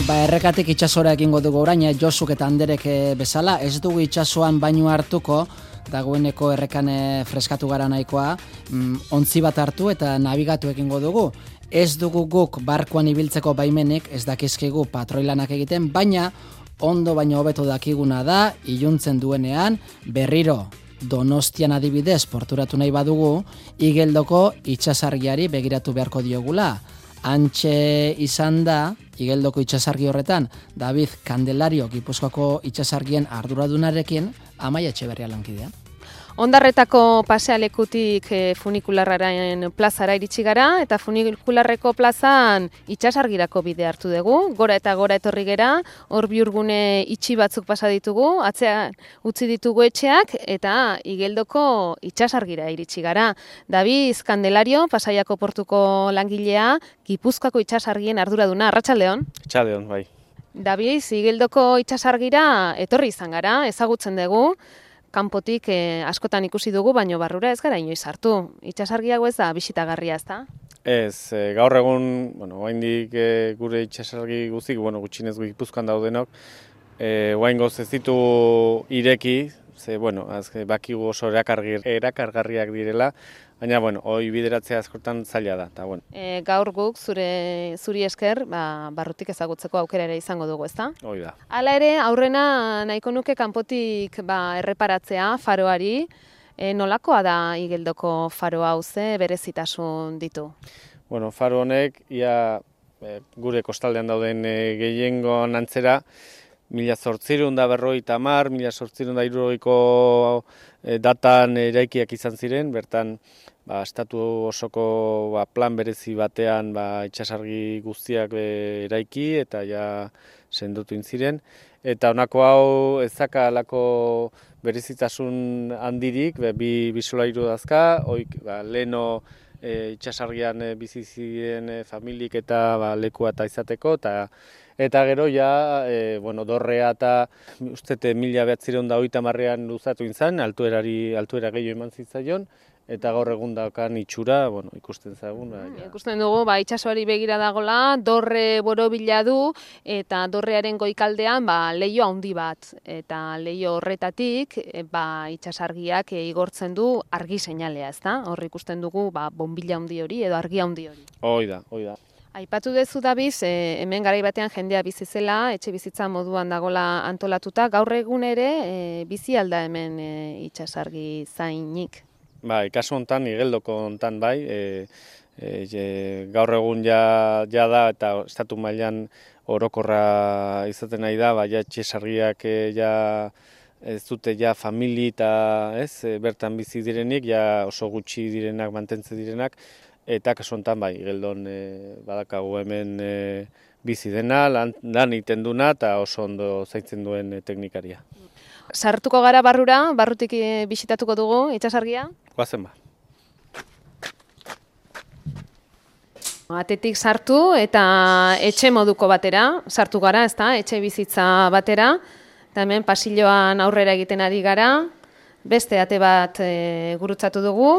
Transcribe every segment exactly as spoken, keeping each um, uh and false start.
Ba, errekatik itsasora egingo dugu orain, Josuk eta Anderek bezala, ez dugu itsasoan bainu hartuko, dagoeneko errekan freskatu gara nahikoa, mm, ontzi bat hartu eta nabigatu egingo dugu. Ez dugu guk barkuan ibiltzeko baimenik, ez dakizkigu patroilanak egiten, baina ondo baino hobeto dakiguna da, iluntzen duenean, berriro Donostian adibidez porturatu nahi badugu, Igeldoko itsasargiari begiratu beharko diogula. Antxe izan da, Igeldoko itsasargi horretan, David Candelario Gipuzkoako itsasargien arduradunarekin Amaia Etxeberria lankidea. Ondarretako pasealekutik e, funikularraren plazara iritsi gara, eta funikularreko plazan itsasargirako bide hartu dugu, gora eta gora etorri gera, hor biurgune itxi batzuk pasa ditugu, atzean utzi ditugu etxeak, eta Igeldoko itsasargira iritsi gara. David Candelario, Pasaiako portuko langilea, Gipuzkoako itsasargien arduraduna, arratsaldeon. Arratsaldeon, bai. David, Igeldoko itsasargira etorri izan gara, ezagutzen dugu, kanpotik eh, askotan ikusi dugu, baino barrura ez gara inoiz hartu. Itsasargiago ez da bisitagarria, ez da? Ez, e, gaur egun, bueno, oraindik e, gure itsasargi guztik, bueno, gutxienez Gipuzkoan daudenok, e, oraingoz ez ditu ireki, ze, bueno, azke, bakigu oso erakargarriak direla, baina, bueno, hoi bideratzea askotan zaila da, eta, bueno. E, gaur guk, zure, zuri esker, ba, barrutik ezagutzeko aukera ere izango dugu, ezta? Hoi da. Hala ere, aurrena nahiko nuke kanpotik ba, erreparatzea faroari, e, nolakoa da Igeldoko faro hau ze berezitasun ditu? Bueno, faro honek, ia e, gure kostaldean dauden e, gehiengoan antzera, mila zortzirun da berrogeita hamar, mila zortzirun da hirurogeiko e, datan eraikiak izan ziren, bertan ba, estatu osoko ba, plan berezi batean ba, itsasargi guztiak e, eraiki eta ja sendotu ziren. Eta honako hau ez zaka alako berezitasun handirik, be, bi, bi solairu dazka, oik ba, leheno e, itsasargian e, bizi ziren e, familik eta ba, lekua eta izateko, eta Eta gero ja, e, bueno, dorrea eta ustete mila behatzireun da hogeita hamarrean luzatu izan, altuerari, altuera gehiago eman zitzaion, eta gaur egun daukan itxura, bueno, ikusten zagun. Ba, ja. Ikusten dugu, ba, itsasoari begira dagola, dorre borobila du, eta dorrearen goikaldean ba, leiho handi bat. Eta leiho horretatik e, ba, itsasargiak e, igortzen du argi seinalea, ezta? Hor ikusten dugu ba, bombila handi hori edo argi handi hori. Hoi da, hoi da. Aipatu dezu Dabiz, e, hemen garai batean jendea bizi zela, etxe bizitza moduan dagola antolatuta, gaur egun ere e, bizi alda hemen e, itsasargi zainik. Bai, kasu hontan, Igeldoko hontan bai, e, e, gaur egun ja, ja da eta estatu mailan orokorra izaten nahi da, ba, ja itsasargiak e, ja ez dute ja famili eta ez, e, bertan bizi direnik, ja oso gutxi direnak, mantentze direnak, eta kasu honetan bai, Igeldon e, badakagu hemen e, bizi dena, lan, lan egiten duna eta oso ondo zaintzen duen e, teknikaria. Sartuko gara barrura, barrutik e, bisitatuko dugu itsasargia? Goazen ba. Atetik sartu eta etxe moduko batera, sartu gara, ezta, etxe bizitza batera, eta hemen pasilloan aurrera egiten ari gara, beste ate bat e, gurutzatu dugu,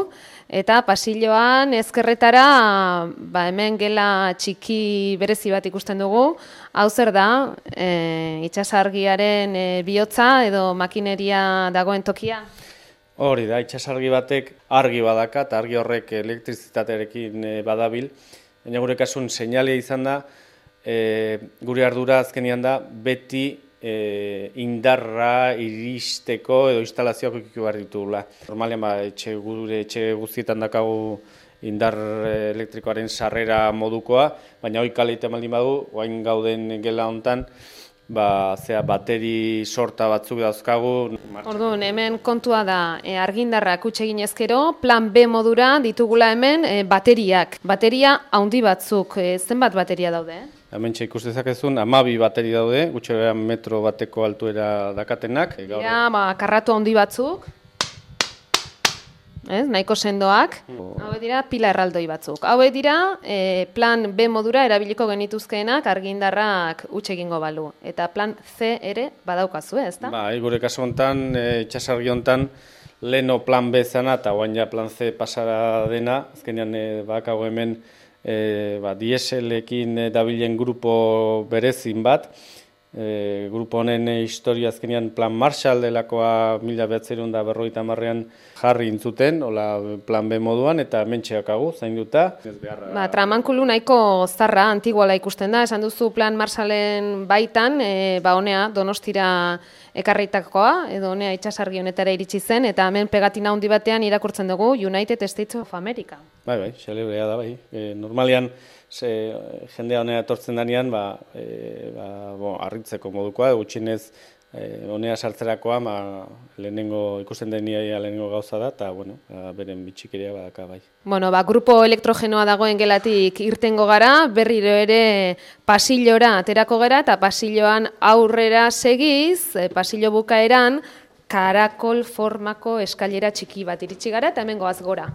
eta pasilloan ezkerretara ba, hemen gela txiki berezi bat ikusten dugu. Hau zer da, e, itsasargiaren e, bihotza edo makineria dagoen tokia? Hori da, itsasargi batek argi badaka eta argi horrek elektrizitatearekin e, badabil. Baina gure kasun seinalea izan da, e, gure ardura azkenean da beti E, indarra iristeko edo instalazioak ikiku behar ditugula. Normalean ba, etxe, gure etxe guztietan dakagu indar elektrikoaren sarrera modukoa, baina hori kaleite maldin badu, oain gauden gela hontan, ba, zera, bateri sorta batzuk dauzkagu. Orduan, hemen kontua da e, argindarrak utxe ginezkero, plan B modura ditugula hemen e, bateriak. Bateria handi batzuk, e, zenbat bateria daude? Eh? Hemen ikusi dezakezun, hamabi bateri daude, gutxera metro bateko altuera dakatenak. Ja, ba, karratu handi batzuk, ez, nahiko sendoak. Oh. Hauek dira pila erraldoi batzuk. Hauek dira e, plan B modura erabiliko genituzkeenak argindarrak utxe egingo balu. Eta plan C ere badaukazu, ez da? Ba, gure kasu hontan, e, itsasargi hontan, leno plan B zana eta oain ja plan C pasara dena, azkenean e, bakago hemen e, ba, dieselekin dabilen grupo berezin bat. E, grupo honen historia azkenean Plan Marshall delakoa mila bederatziehun eta berrogeita hamarrean jarri intzuten, hola Plan B moduan, eta hementxeakagu, zainduta. Ba, tramankulu nahiko zarra, antiguala ikusten da, esan duzu Plan Marshallen baitan, e, ba, honea Donostira ekarritakoa, edo honea itsasargi honetara iritsi zen, eta hemen pegatina handi batean irakurtzen dugu United States of America. Bai, bai, xelebrea da, bai. E, normalian, ze, jendea honea etortzen danean, ba, e, ba, bo, arritzeko modukoa, gutxinez e, honea sartzerakoa, ba, lehenengo, ikusten denia lehenengo gauza da, eta, bueno, ba, beren bitxikeria badaka, bai. Bueno, ba, grupo elektrogenoa dagoen gelatik irtengo gara, berriro ere pasillora aterako gara, eta pasilloan aurrera segiz, e, pasillo bukaeran, karakol formako eskailera txiki bat iritsi gara, eta hemen goaz gora.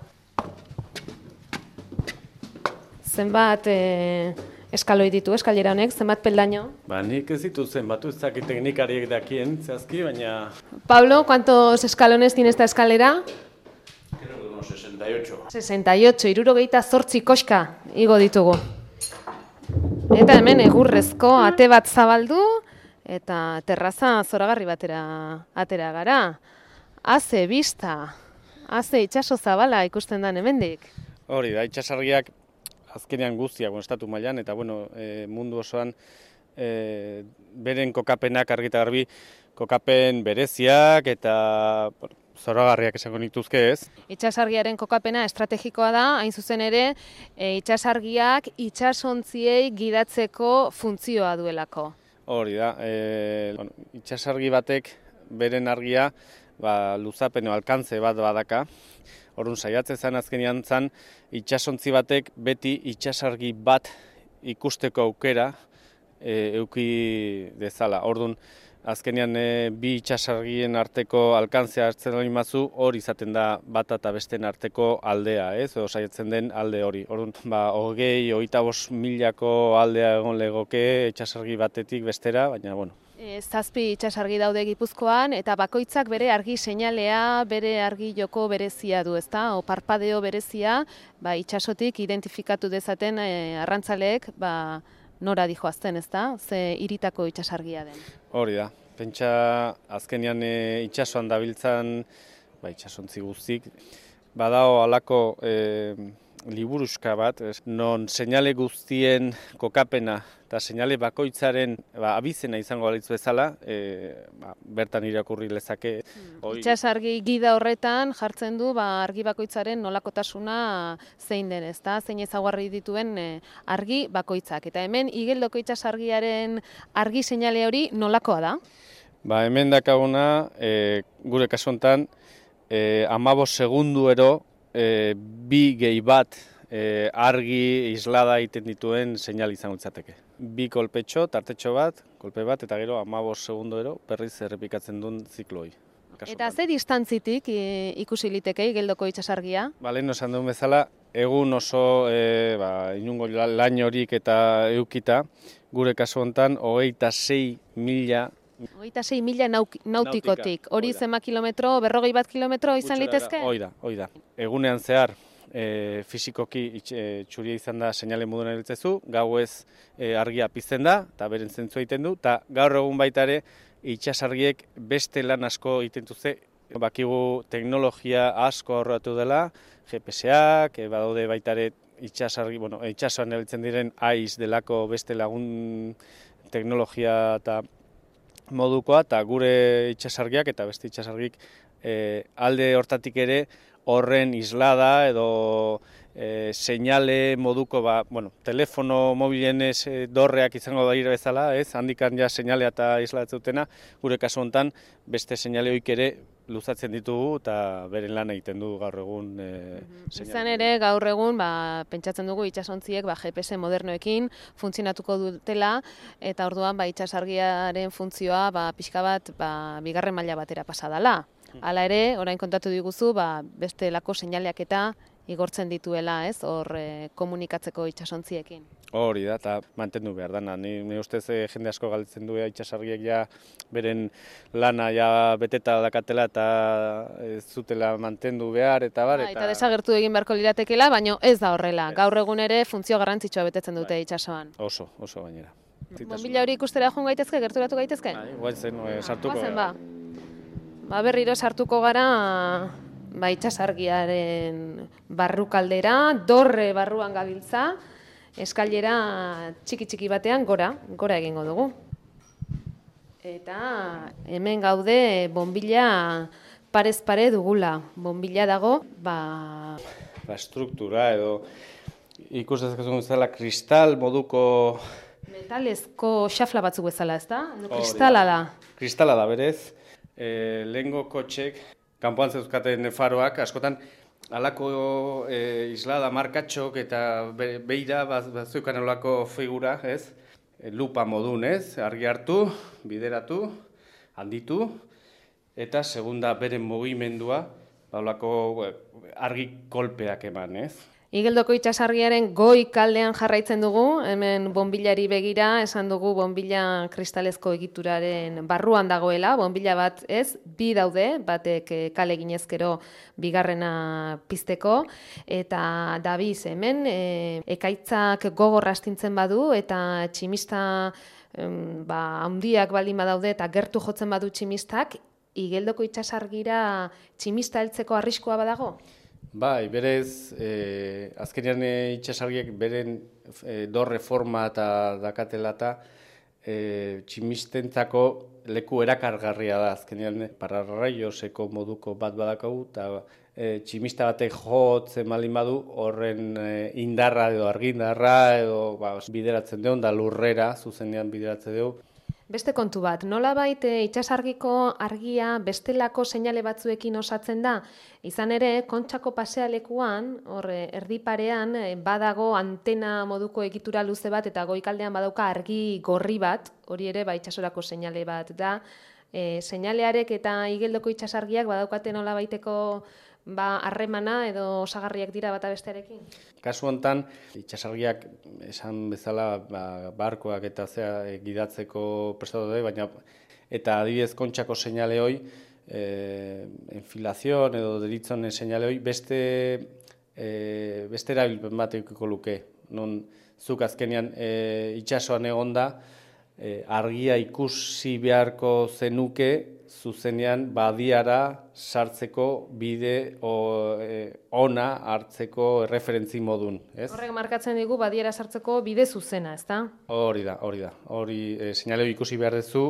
Zenbat e, eskaloi ditu eskailera honek, zenbat peldaño? Ba, nik ez ditu zenbatu, ez dakit teknikariek dakien, zehazki, baina... Pablo, ¿cuántos escalones tiene esta escalera? Creo que unos sesenta y ocho. sesenta y ocho, hirurogeita zortzi koska igo ditugu. Eta hemen egurrezko ate bat zabaldu, eta terraza zoragarri batera atera gara. Haze bista, haze itsaso zabala ikusten da hemendik. Hori da, itsasargiak azkenean guztiak, estatu mailan, eta bueno, e, mundu osoan e, beren kokapenak argi eta garbi, kokapen bereziak eta bueno, zoragarriak esango nituzke ez. Itsasargiaren kokapena estrategikoa da, hain zuzen ere, e, itsasargiak itsasontziei gidatzeko funtzioa duelako. Hori da, e, bueno, itsasargi batek beren argia ba, luzapen o alkantze bat badaka. Orduan saiatzen zen azkenean zen itsasontzi batek beti itsasargi bat ikusteko aukera e, euki dezala. Orduan azkenean e, bi itsasargien arteko alkantzea hartzen hori mazu, hori izaten da bata eta besten arteko aldea, ez? Edo saiatzen den alde hori. Orduan, ba, hogei, hogeita bost milako aldea egon legoke itsasargi batetik bestera, baina, bueno. E, zazpi itsasargi daude Gipuzkoan, eta bakoitzak bere argi seinalea, bere argi joko berezia du, ezta? O parpadeo berezia, ba, itsasotik identifikatu dezaten e, arrantzaleek, ba, nora dijoazten, ezta? Ze hiritako itsasargia den. Hori da. Pentsa azkenean e, itsasoan dabiltzan, ba, itsasontzi guztik, badao halako e, liburuska bat, es, non seinale guztien kokapena eta seinale bakoitzaren ba, abizena izango balitz bezala, e, ba, bertan irakurri lezake. Hmm. Itsasargi gida horretan jartzen du ba, argi bakoitzaren nolakotasuna zein den, ezta? Zein ezaugarri dituen e, argi bakoitzak. Eta hemen igeldoko itsasargiaren argi seinale hori nolakoa da? Ba, hemen dakaguna, e, gure kasu honetan, e, hamabost segunduero E, bi gehi bat e, argi islada egiten dituen seinal izango litzateke. Bi kolpetxo, tartetxo bat, kolpe bat, eta gero hamabost segunduero berriz errepikatzen duen zikloi. Eta ze distantzitik e, ikusi liteke igeldoko itsasargia? Ba, lehen esan duen bezala, egun oso e, ba, inungo lain horik eta eukita, gure kasu honetan, hogeita sei mila Hogeita sei mila nautikotik. Hori zema kilometro, berrogei bat kilometro izan litezke? Hoi da, hoi da. Egunean zehar, e, fisikoki e, txuria izan da seinale moduan erabiltzezu, gauez e, argia pizten da, eta beren zentzua egiten du, eta gaur egun baita ere, itsasargiek beste lan asko egiten duze. Bakigu teknologia asko aurratu dela, G P S-ak, e, badaude baita ere itsasargi, bueno, itsasoan erabiltzen diren A I S delako beste lagun teknologia eta modukoa, eta gure itsasargiak eta beste itsasargik e, alde hortatik ere horren islada edo e, seinale moduko, ba, bueno, telefono mobilen ez e, dorreak izango da bezala, ez, handikan ja seinalea eta islatzen dutena, gure kasu honetan beste seinale hoik ere luzatzen ditugu eta beren lan egiten du gaur egun e, seinale. Izan ere gaur egun ba, pentsatzen dugu itsasontziek ba, G P S modernoekin funtzionatuko dutela, eta orduan ba, itsasargiaren funtzioa ba, pixka bat ba, bigarren maila batera pasa dela. Hala ere, orain kontatu diguzu, ba, beste lako seinaleak eta igortzen dituela, ez, hor e, komunikatzeko itsasontziekin. Hori da, eta mantendu behar dana. Ni, ni ustez e, jende asko galdetzen du itsasargiek ja beren lana ja beteta dakatela eta ez zutela mantendu behar eta bar. Ba, eta desagertu egin beharko liratekela, baina ez da horrela. Gaur egun ere funtzio garrantzitsua betetzen dute itsasoan. Oso, oso gainera. Bonbilla hori ikustera joan gaitezke, gerturatu gaitezke? Bai, guazen, e, sartuko. Guazen, ba. Ba, berriro sartuko gara ba, itsasargiaren barrukaldera, dorre barruan gabiltza, eskailera txiki-txiki batean gora, gora egingo dugu. Eta hemen gaude bonbilla parez pare dugula. Bonbilla dago, ba... Ba, struktura edo ikus dezakizun bezala kristal moduko... Metalezko xafla batzuk bezala, ez da? Kristala da. Kristala da, berez. E, lehengo kotxek, kanpoan zeuzkaten faroak, askotan, alako e, islada markatxok eta be, beira bazeukan olako figura, ez? E, lupa modun, ez? Argi hartu, bideratu, handitu, eta segunda beren mugimendua, olako argi kolpeak eman, ez? Igeldoko itsasargiaren goi kaldean jarraitzen dugu, hemen bonbillari begira, esan dugu bonbilla kristalezko egituraren barruan dagoela, bonbilla bat ez, bi daude, batek kale ginezkero bigarrena pizteko, eta dabiz hemen e, ekaitzak gogor astintzen badu, eta tximista em, ba, handiak baldin badaude, eta gertu jotzen badu tximistak, Igeldoko itsasargira tximista heltzeko arriskua badago? Bai, berez, e, azkenean itsasargiek beren e, dorre forma eta dakatela eta e, tximistentzako leku erakargarria da. Azkenean pararraioseko moduko bat badakagu eta e, tximista batek jotzen malin badu horren e, indarra edo argindarra edo ba, bideratzen deun da lurrera, zuzenean bideratzen dugu. Beste kontu bat, nolabait itsasargiko argia bestelako seinale batzuekin osatzen da? Izan ere, Kontxako pasealekuan, hor erdiparean, badago antena moduko egitura luze bat eta goikaldean badauka argi gorri bat, hori ere ba itsasorako seinale bat da. E, seinalearek eta Igeldoko itsasargiak badaukate nolabaiteko ba harremana edo osagarriak dira bata bestearekin? Kasu hontan itsasargiak esan bezala ba, barkoak eta zea e, gidatzeko prestatu daude, baina eta adibidez Kontxako seinale hoi, e, enfilazion edo deritzon seinale hoi beste e, beste erabilpen bat edukiko luke. Non zuk azkenean e, itsasoan egonda e, argia ikusi beharko zenuke zuzenean badiara sartzeko bide o, e, ona hartzeko referentzi modun, ez? Horrek markatzen digu badiara sartzeko bide zuzena, ezta? Hori da, hori da. Hori e, seinale ikusi behar duzu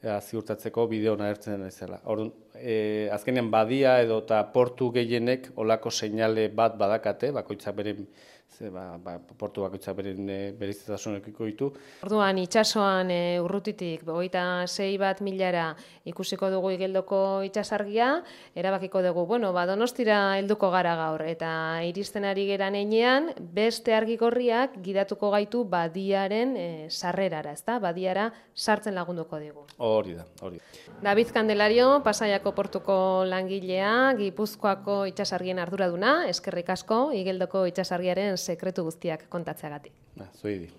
e, ziurtatzeko bide ona hartzen ezela. Orduan, e, azkenean badia edo eta portu gehienek olako seinale bat badakate, bakoitzak beren Ze, ba, ba, portu bakoitzak beren e, bereiztasunekiko ditu. Orduan itsasoan e, urrutitik hogeita sei bat milara ikusiko dugu Igeldoko itsasargia, erabakiko dugu, bueno, ba Donostira helduko gara gaur eta iristen ari geran heinean beste argi gorriak gidatuko gaitu badiaren e, sarrerara, ezta? Badiara sartzen lagunduko digu. Hori da, hori. David Candelario, Pasaiako portuko langilea, Gipuzkoako itsasargien arduraduna, eskerrik asko Igeldoko itsasargiaren sekretu guztiak kontatzeagatik. Ba, zuei di.